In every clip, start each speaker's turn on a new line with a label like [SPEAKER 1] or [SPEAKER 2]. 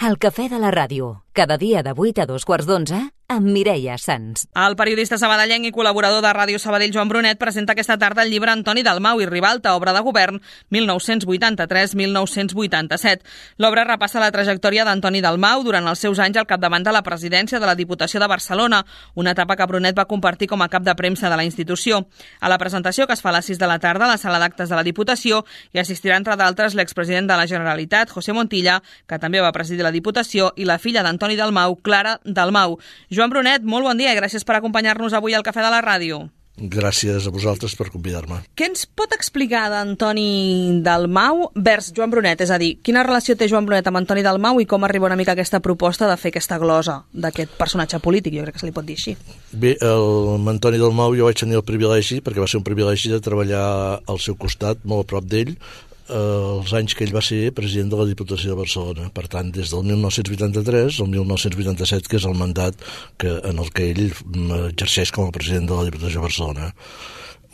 [SPEAKER 1] El cafè de la ràdio, cada dia de 8 a 2:15, amb Mireia Sans.
[SPEAKER 2] El periodista sabadellenc i col·laborador de Ràdio Sabadell, Joan Brunet, presenta aquesta tarda el llibre Antoni Dalmau i Ribalta, obra de govern 1983-1987. L'obra repassa la trajectòria d'Antoni Dalmau durant els seus anys al capdavant de la presidència de la Diputació de Barcelona, una etapa que Brunet va compartir com a cap de premsa de la institució. A la presentació, que es fa a les 6 de la tarda a la sala d'actes de la Diputació, hi assistirà, entre d'altres, l'expresident de la Generalitat, José Montilla, que també va presidir la Diputació, i la filla d'Antoni Dalmau, Clara Dalmau. Joan Brunet, molt bon dia i gràcies per acompanyar-nos avui al Cafè de la Ràdio.
[SPEAKER 3] Gràcies a vosaltres per convidar-me.
[SPEAKER 2] Què ens pot explicar d'Antoni Dalmau vers Joan Brunet? És a dir, quina relació té Joan Brunet amb Antoni Dalmau i com arriba una mica aquesta proposta de fer aquesta glosa d'aquest personatge polític, jo crec que se li pot dir així.
[SPEAKER 3] Bé, amb Antoni Dalmau jo vaig tenir el privilegi, perquè va ser un privilegi de treballar al seu costat, molt a prop d'ell, els anys que ell va ser president de la Diputació de Barcelona. Per tant, des del 1983 al 1987, que és el mandat en el que ell exerceix com a president de la Diputació de Barcelona.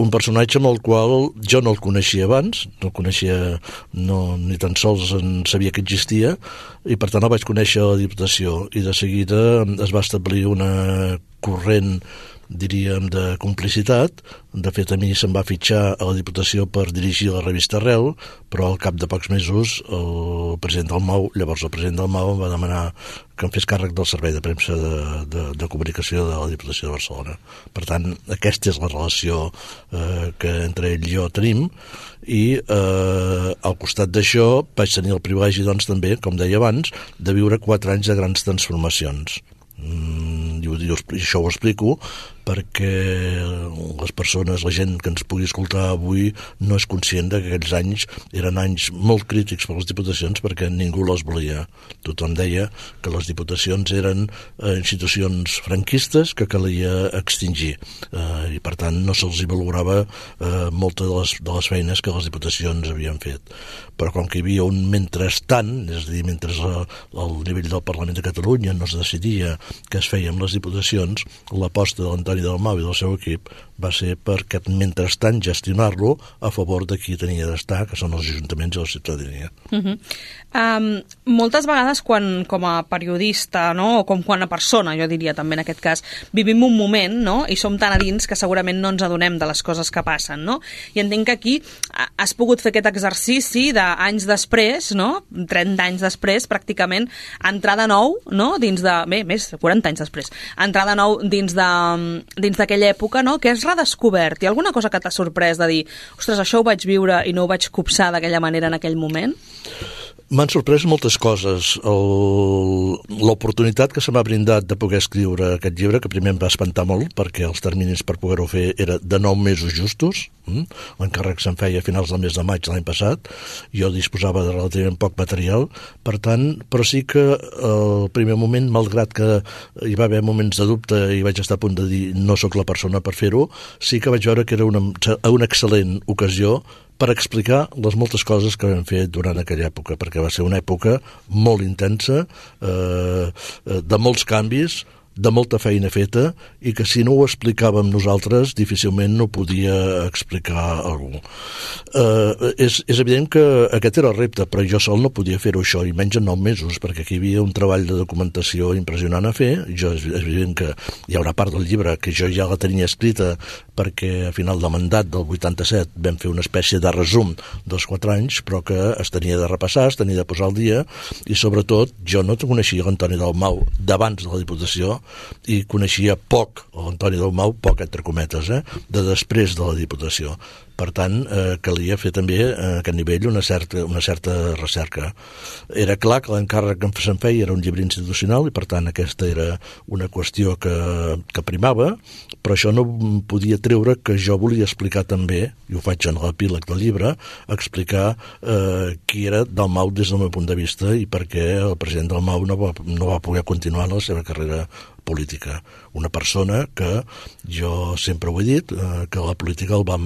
[SPEAKER 3] Un personatge amb el qual jo no el coneixia abans, no el coneixia, ni tan sols en sabia que existia, i per tant el vaig conèixer a la Diputació, i de seguida es va establir una corrent, diríem, de complicitat. De fet, a mi se'm va fitxar a la Diputació per dirigir la revista Arrel, però al cap de pocs mesos el president Dalmau em va demanar que em fes càrrec del servei de premsa de comunicació de la Diputació de Barcelona. Per tant, aquesta és la relació que entre ell i jo tenim, i al costat d'això vaig tenir el privilegi, doncs, també, com deia abans, de viure 4 anys de grans transformacions. I això ho explico perquè les persones, la gent que ens pugui escoltar avui no és conscient que aquells anys eren anys molt crítics per les diputacions, perquè ningú les volia. Tothom deia que les diputacions eren institucions franquistes que calia extingir, i per tant no se'ls valorava moltes de les feines que les diputacions havien fet. Però com que hi havia un mentrestant, és a dir, mentre al nivell del Parlament de Catalunya no es decidia què es feia amb les diputacions, l'aposta de l'Antoni Dalmau i del seu equip va ser per aquest mentrestant gestionar-lo a favor de qui tenia d'estar, que són els ajuntaments i la ciutadania.
[SPEAKER 2] Moltes vegades quan, com a periodista, no? O com quan a persona, jo diria també en aquest cas, vivim un moment, no? I som tan a dins que segurament no ens adonem de les coses que passen, no? I entenc que aquí has pogut fer aquest exercici d'anys després, no? 30 anys després, pràcticament, entrar de nou, no? Dins de... Bé, més, 40 anys després. Entrar de nou dins d'aquella època, no? Que has redescobert. Hi ha alguna cosa que t'ha sorprès de dir, ostres, això ho vaig viure i no ho vaig copsar d'aquella manera en aquell moment?
[SPEAKER 3] M'han sorprès moltes coses. L'oportunitat que se m'ha brindat de poder escriure aquest llibre, que primer em va espantar molt, perquè els terminis per poder-ho fer era de 9 mesos justos. L'encàrrec se'n feia a finals del mes de maig l'any passat. Jo disposava de relativament poc material. Per tant, però sí que al primer moment, malgrat que hi va haver moments de dubte i vaig estar a punt de dir no sóc la persona per fer-ho, sí que vaig veure que era una excel·lent ocasió per explicar les moltes coses que vam fer durant aquella època, perquè va ser una època molt intensa, de molts canvis, de molta feina feta, i que si no ho explicàvem nosaltres difícilment no podia explicar algú. És evident que aquest era el repte, però jo sol no podia fer-ho això, i menys en 9 mesos, perquè aquí hi havia un treball de documentació impressionant a fer. És evident que hi ha una part del llibre que jo ja la tenia escrita, perquè a final de mandat del 87 vam fer una espècie de resum dels 4 anys, però que es tenia de repassar, es tenia de posar al dia, i sobretot jo no coneixia l'Antoni Dalmau d'abans de la Diputació, i coneixia poc l'Antoni Dalmau, poc entre cometes, de després de la Diputació. Per tant, calia fer també a aquest nivell una certa recerca. Era clar que l'encàrrec que se'n feia era un llibre institucional, i per tant aquesta era una qüestió que primava, però això no podia treure que jo volia explicar també, i ho faig en l'epíleg del llibre, explicar qui era Dalmau des del meu punt de vista i per què el president Dalmau no va poder continuar la seva carrera política. Una persona que jo sempre ho he dit, que la política el va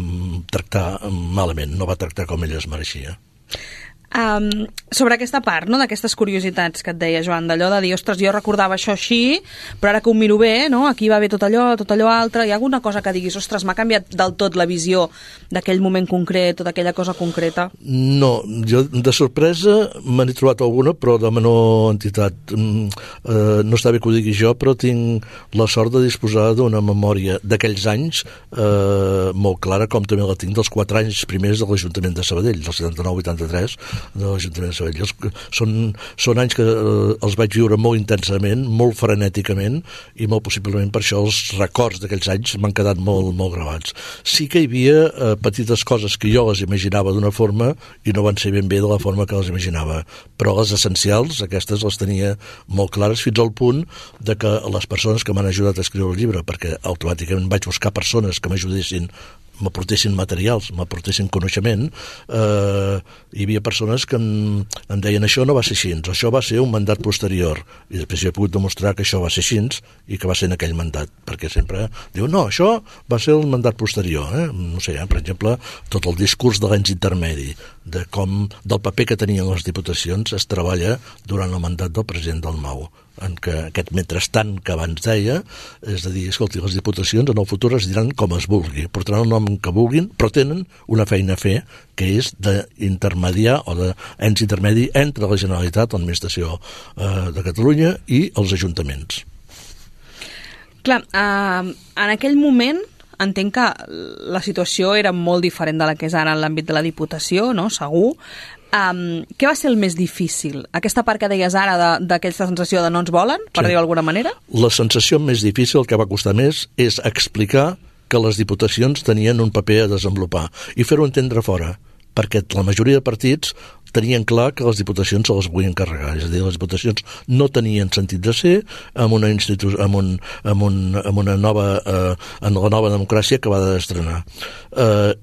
[SPEAKER 3] tractar malament, no va tractar com ell es mereixia.
[SPEAKER 2] Sobre aquesta part, no?, d'aquestes curiositats que et deia, Joan, d'allò de dir, ostres, jo recordava això així, però ara que ho miro bé, no?, aquí va bé tot allò altre, hi ha alguna cosa que diguis, ostres, m'ha canviat del tot la visió d'aquell moment concret o d'aquella cosa concreta?
[SPEAKER 3] No, jo de sorpresa me n'he trobat alguna, però de menor entitat. No està bé que ho digui jo, però tinc la sort de disposar d'una memòria d'aquells anys molt clara, com també la tinc dels 4 anys primers de l'Ajuntament de Sabadell, del 79-83 de l'Ajuntament de Sabadell. Són anys que els vaig viure molt intensament, molt frenèticament, i molt possiblement per això els records d'aquells anys m'han quedat molt, molt gravats. Sí que hi havia petites coses que jo les imaginava d'una forma i no van ser ben bé de la forma que les imaginava, però les essencials, aquestes les tenia molt clares, fins al punt de que les persones que m'han ajudat a escriure el llibre, perquè automàticament vaig buscar persones que m'ajudessin, m'aportessin materials, m'aportessin coneixement, hi havia persones que em deien això no va ser així, això va ser un mandat posterior, i després jo he pogut demostrar que això va ser així i que va ser en aquell mandat, perquè sempre diu, no, això va ser el mandat posterior, no sé, per exemple, tot el discurs de l'ens intermedi, del paper que tenien les diputacions es treballa durant el mandat del president Dalmau, en què aquest mentrestant que abans deia, és a dir, escolti, les diputacions en el futur es diran com es vulgui, portaran el nom que vulguin, però tenen una feina a fer, que és d'intermediar o d'ens intermedi entre la Generalitat, l'administració de Catalunya i els ajuntaments.
[SPEAKER 2] Clar, en aquell moment entenc que la situació era molt diferent de la que és ara en l'àmbit de la Diputació, no? Segur. Què va ser el més difícil? Aquesta part que deies ara d'aquesta sensació de no ens volen, per dir-ho d'alguna manera?
[SPEAKER 3] La sensació més difícil, el que va costar més, és explicar que les diputacions tenien un paper a desenvolupar i fer-ho entendre fora, perquè la majoria de partits tenien clar que les diputacions se les volien carregar, és a dir, les diputacions no tenien sentit de ser en la nova democràcia que va d'estrenar.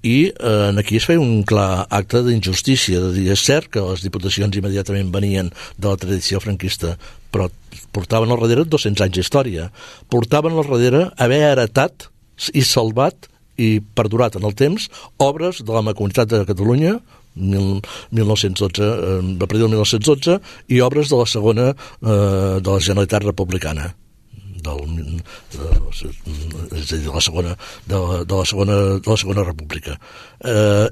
[SPEAKER 3] I aquí es feia un clar acte d'injustícia, de dir, és cert que les diputacions immediatament venien de la tradició franquista, però portaven al darrere 200 anys d'història, portaven al darrere haver heretat i salvat i perdurat en el temps obres de la Mancomunitat de Catalunya 1912, a partir del 1912, i obres de la segona de la Generalitat Republicana, és a dir, de la segona república.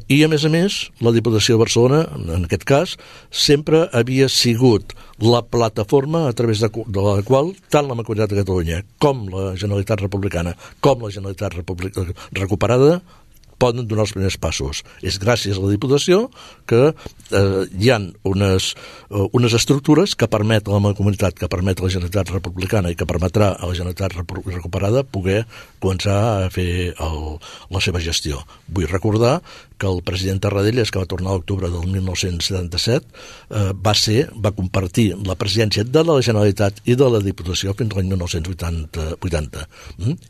[SPEAKER 3] I a més, la Diputació de Barcelona, en aquest cas, sempre havia sigut la plataforma a través de la qual tant la Mancomunitat de Catalunya com la Generalitat Republicana com la Generalitat recuperada poden donar els primers passos. És gràcies a la Diputació que hi ha unes estructures que permet a la Mancomunitat, que permet a la Generalitat Republicana i que permetrà a la Generalitat recuperada poder començar a fer la seva gestió. Vull recordar que el president Tarradellas, que va tornar a l'octubre del 1977, va compartir la presidència de la Generalitat i de la Diputació fins l'any 1980.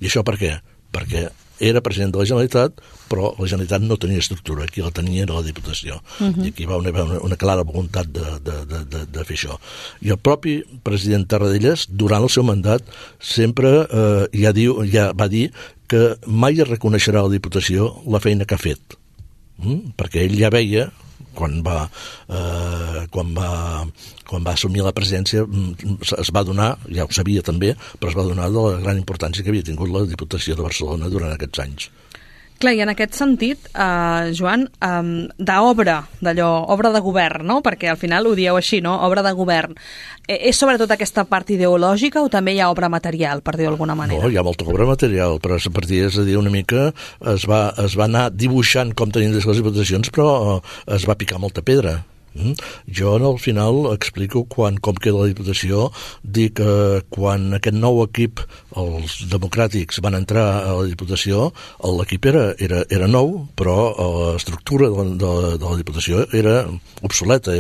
[SPEAKER 3] I això per què? Perquè era president de la Generalitat, però la Generalitat no tenia estructura, qui la tenia era la Diputació. I aquí va haver una clara voluntat de fer això. I el propi president Tarradellas, durant el seu mandat, sempre ja va dir que mai es reconeixerà a la Diputació la feina que ha fet, perquè ell ja veia, quan va assumir la presidència, es va donar, ja ho sabia també, però es va donar de la gran importància que havia tingut la Diputació de Barcelona durant aquests anys.
[SPEAKER 2] Clar, i en aquest sentit, Joan, d'obra de govern, no? Perquè al final ho dieu així, no? Obra de govern. És sobretot aquesta part ideològica o també hi ha obra material, per dir-ho d'alguna manera?
[SPEAKER 3] No, hi ha molta obra material, però a partir, és a dir, una mica es va anar dibuixant com tenien les diputacions, però es va picar molta pedra. Jo al final explico com queda la Diputació, dic que quan aquest nou equip, els democràtics, van entrar a la Diputació, l'equip era nou, però l'estructura de la Diputació era obsoleta,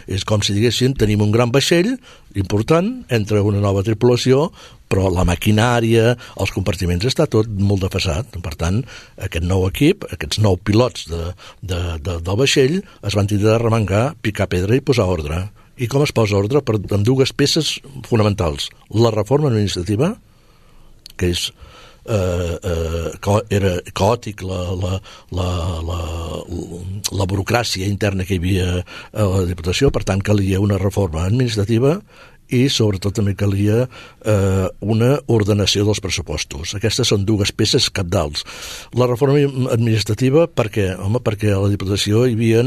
[SPEAKER 3] és com si diguéssim, tenim un gran vaixell important, entra una nova tripulació, però la maquinària, els compartiments, està tot molt defasat. Per tant, aquest nou equip, aquests 9 pilots del vaixell, es van tindre de remengar, picar pedra i posar ordre. I com es posa ordre? Amb 2 peces fonamentals. La reforma administrativa, que és era caòtic la burocràcia interna que hi havia a la Diputació, per tant calia una reforma administrativa i sobretot també calia una ordenació dels pressupostos. Aquestes són dues peces cabdals. La reforma administrativa, per què? Home, perquè a la Diputació hi havia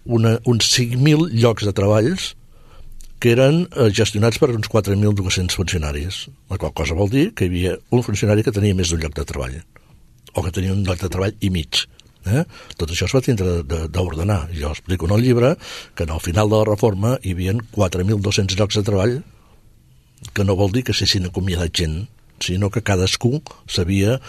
[SPEAKER 3] uns 5.000 llocs de treballs que eren gestionats per uns 4.200 funcionaris, la qual cosa vol dir que hi havia un funcionari que tenia més d'un lloc de treball, o que tenia un lloc de treball i mig. Tot això es va tindre d'ordenar. Jo explico en el llibre que al final de la reforma hi havia 4.200 llocs de treball, que no vol dir que s'hagin acomiadat gent, sinó que cadascú sabia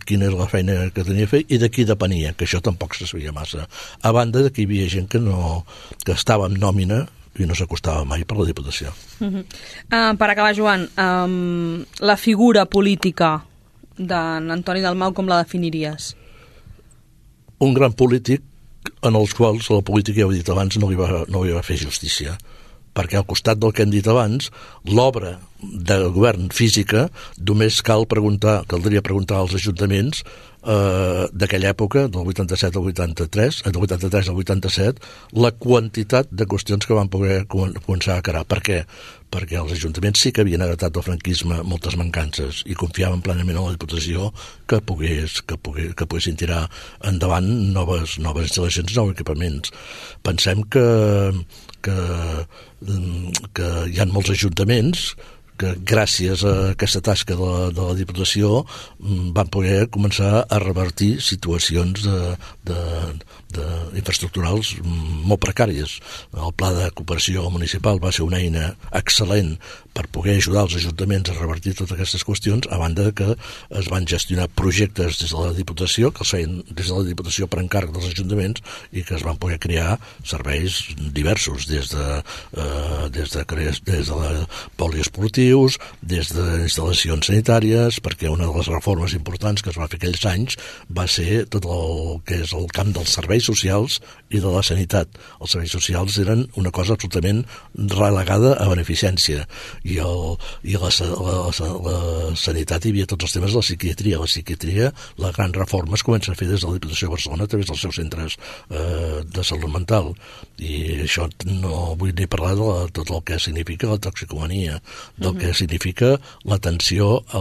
[SPEAKER 3] quina era la feina que tenia a fer i de qui depenia, que això tampoc se sabia massa. A banda de que hi havia gent que estava en nòmina i no s'acostava mai per la Diputació.
[SPEAKER 2] Per acabar, Joan, la figura política d'en Antoni Dalmau com la definiries?
[SPEAKER 3] Un gran polític en els quals la política, ja ho he dit abans, no li va fer justícia, perquè al costat del que hem dit abans, l'obra del govern física només caldria preguntar als ajuntaments d'aquella època, del 87 al 83, del 83 al 87, la quantitat de qüestions que van poder començar a carar. Per què? Perquè els ajuntaments sí que havien heretat del franquisme moltes mancances i confiaven plenament en la Diputació que poguessin tirar endavant noves instal·lacions, nous equipaments. Pensem que hi ha molts ajuntaments que gràcies a aquesta tasca de la Diputació van poder començar a revertir situacions infraestructurals molt precàries. El pla de cooperació municipal va ser una eina excel·lent per poder ajudar els ajuntaments a revertir totes aquestes qüestions, a banda que es van gestionar projectes des de la Diputació, que els feien des de la Diputació per encàrrec dels ajuntaments i que es van poder crear serveis diversos, des de poliesportius, des d'instal·lacions sanitàries, perquè una de les reformes importants que es va fer aquells anys va ser tot el que és el camp dels serveis socials i de la sanitat. Els serveis socials eren una cosa absolutament relegada a beneficència i la sanitat hi havia tots els temes de la psiquiatria. La psiquiatria, la gran reforma es comença a fer des de la Diputació de Barcelona a través dels seus centres de salut mental, i això no vull ni parlar de tot el que significa la toxicomania, del que significa l'atenció a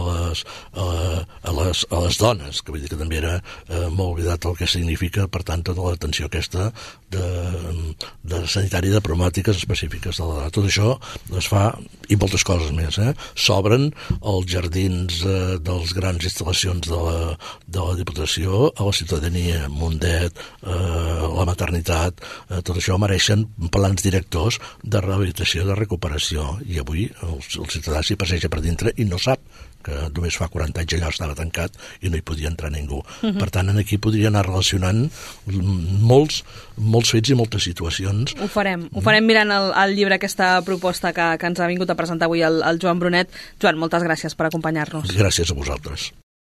[SPEAKER 3] les dones, que vull dir que també era molt oblidat el que significa, per tant, tota l'atenció aquesta de sanitària, de problemàtiques específiques de la dona. Tot això es fa, i moltes coses més. S'obren els jardins dels grans instal·lacions de la Diputació a la ciutadania, Mundet, la maternitat, tot això mereixen plans directors de rehabilitació, de recuperació, i avui el ciutadà s'hi passeja per dintre i no sap que només fa 40 anys allò estava tancat i no hi podia entrar ningú. Per tant, aquí podria anar relacionant molts fets i moltes situacions.
[SPEAKER 2] Ho farem mirant el llibre, aquesta proposta que ens ha vingut a presentar avui el Joan Brunet. Joan, moltes gràcies per acompanyar-nos.
[SPEAKER 3] Gràcies a vosaltres.